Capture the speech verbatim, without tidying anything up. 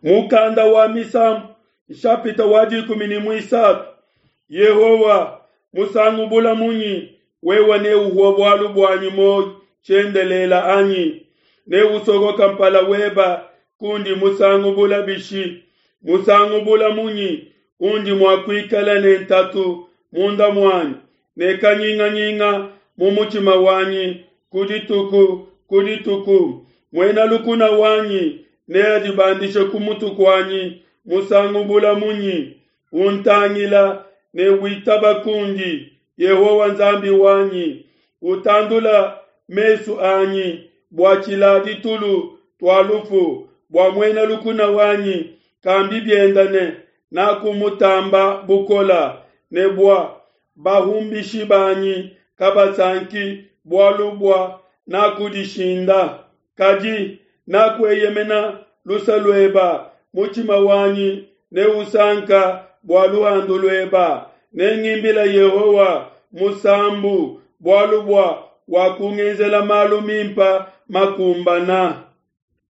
Mukanda wa Misambu nshapita wa dikumi ne muisatu Yehowa musangu bula munyi wewe neuhue bualu buanyi muoyo tshiendelela anyi? Neusokoka mpala weba kundi musangu bula bishi? Musangu bula munyi undi mua kuikala ne ntatu munda muanyi ne kanyinganyinga mu mutshima wanyi ku dituku ku dituku? Muena lukuna wanyi neadibandishe ku mutu kuanyi musangu bula munyi? Untangila ne witaba kundi, Yehowa Nzambi wanyi, utandula mesu anyi bua tshiladi tulu tua lufu, bua muena lukuna wanyi kambi bienda ne, Nakumutamba bukola, ne bua bahumbishi banyi kabasanki bualu bua nakudishinda. Kadi nakueyemena luse lueba, mutshima wanyi neusanka bua luhandu lueba. Nengimbila Yehowa musambu bualu bua wakungenzela malu mimpa makumbana.